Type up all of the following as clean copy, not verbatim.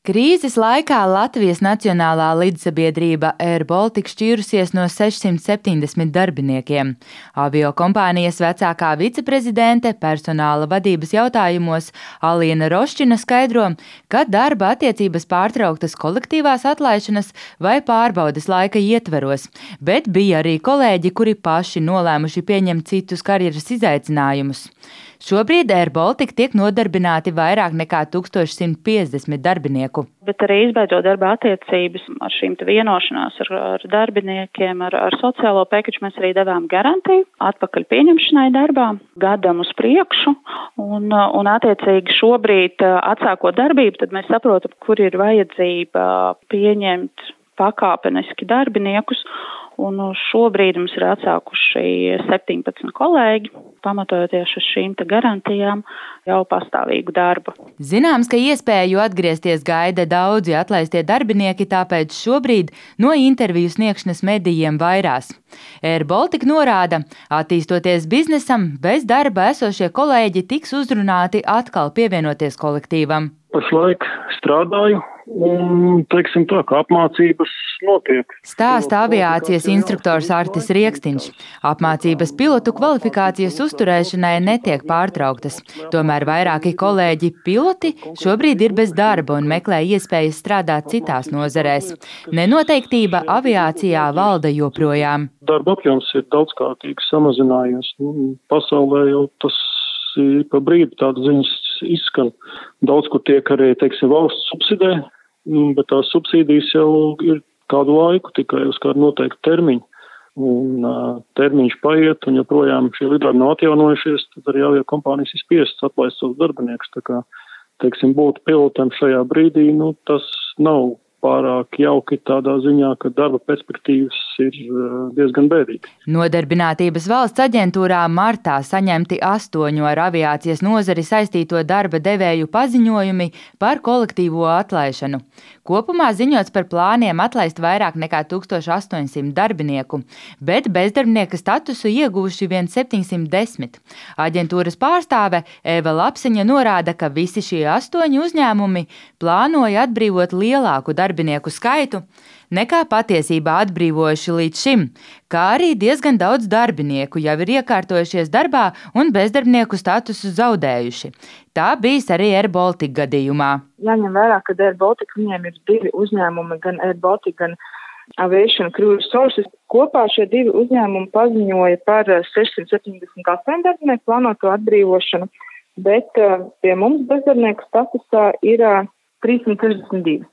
Krīzes laikā Latvijas Nacionālā lidsabiedrība Air Baltic šķīrusies no 670 darbiniekiem. Aviokompānijas vecākā viceprezidente personāla vadības jautājumos Aliena Roščina skaidro, ka darba attiecības pārtrauktas kolektīvās atlaišanas vai pārbaudes laika ietveros, bet bija arī kolēģi, kuri paši nolēmuši pieņemt citus karjeras izaicinājumus. Šobrīd Air Baltic tiek nodarbināti vairāk nekā 1150 darbinieku. Bet arī izbeidzot darba attiecības ar šīm vienošanās ar darbiniekiem, ar sociālo pēkaču mēs arī devām garantiju atpakaļ pieņemšanai darbā gadam uz priekšu. Un attiecīgi šobrīd atsākot darbību, tad mēs saprotam, kur ir vajadzība pieņemt pakāpeniski darbiniekus. Un šobrīd mums ir atsākuši 17 kolēģi, pamatojoties uz šīm garantijām, jau pastāvīgu darbu. Zināms, ka iespēju atgriezties gaida daudzi atlaistie darbinieki, tāpēc šobrīd no interviju sniegšanas medijiem vairās. Air Baltic norāda, attīstoties biznesam, bez darba esošie kolēģi tiks uzrunāti atkal pievienoties kolektīvam. Pašlaik strādāju un, teiksim tā, ka apmācības notiek. Stāsta aviācijas instruktors Artis Riekstiņš. Apmācības pilotu kvalifikācijas uzturēšanai netiek pārtrauktas. Tomēr vairāki kolēģi piloti šobrīd ir bez darba un meklē iespējas strādāt citās nozarēs. Nenoteiktība aviācijā valda joprojām. Darba apjoms ir daudzkārtīgi samazinājies. Pasaulē jau tas pa brīdi tādas ziņas izskan. Daudz, kur tiek arī, teiksim, valsts subsidē, bet tās subsīdijas jau ir kādu laiku, tikai uz kādu noteiktu termiņu. Un termiņš paiet, un joprojām šie lidojumi nav atjaunojušies, tad arī aviokompānijas ir spiestas atlaist savus darbiniekus. Tā kā, teiksim, būt pilotam šajā brīdī, tas nav pārāk jauki tādā ziņā, ka darba perspektīvas ir diezgan bēdīgi. Nodarbinātības valsts aģentūrā martā saņemti 8 ar aviācijas nozari saistīto darba devēju paziņojumi par kolektīvo atlaišanu. Kopumā ziņots par plāniem atlaist vairāk nekā 1800 darbinieku, bet bezdarbnieka statusu ieguvuši vien 710. Aģentūras pārstāve Eva Lapseņa norāda, ka visi šie 8 uzņēmumi plānoja atbrīvot lielāku darbinieku skaitu, nekā patiesībā atbrīvojuši līdz šim, kā arī diezgan daudz darbinieku jau ir iekārtojušies darbā un bezdarbnieku statusu zaudējuši. Tā bijis arī Air Baltic gadījumā. Jāņem vērā, ka Air Baltic viņiem ir 2 uzņēmumi, gan Air Baltic, gan Aviation Crew Resources. Kopā šie 2 uzņēmumi paziņoja par 678 darbinieku plānoto atbrīvošanu, bet pie mums bezdarbnieku statusā ir 362.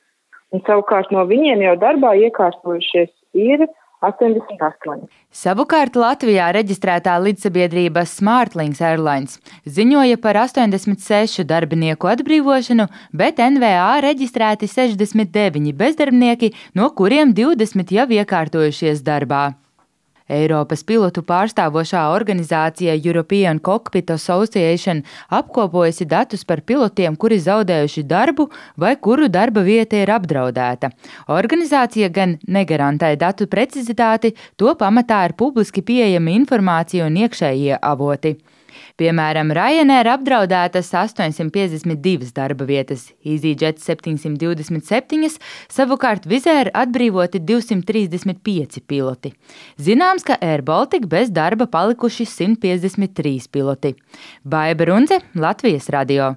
Un savukārt no viņiem jau darbā iekārtojušies ir 88. Savukārt Latvijā reģistrētā lidsabiedrība Smartlinks Airlines ziņoja par 86 darbinieku atbrīvošanu, bet NVA reģistrēti 69 bezdarbnieki, no kuriem 20 jau iekārtojušies darbā. Eiropas pilotu pārstāvošā organizācija European Cockpit Association apkopojusi datus par pilotiem, kuri zaudējuši darbu vai kuru darba vieta ir apdraudēta. Organizācija gan negarantē datu precizitāti, to pamatā ir publiski pieejama informācija un iekšējie avoti. Piemēram, Ryanair apdraudētas 852 darba vietas, EasyJet 727, savukārt Wizz Air atbrīvoti 235 piloti. Zināms, ka Air Baltic bez darba palikuši 153 piloti. Baiba Rundze, Latvijas radio.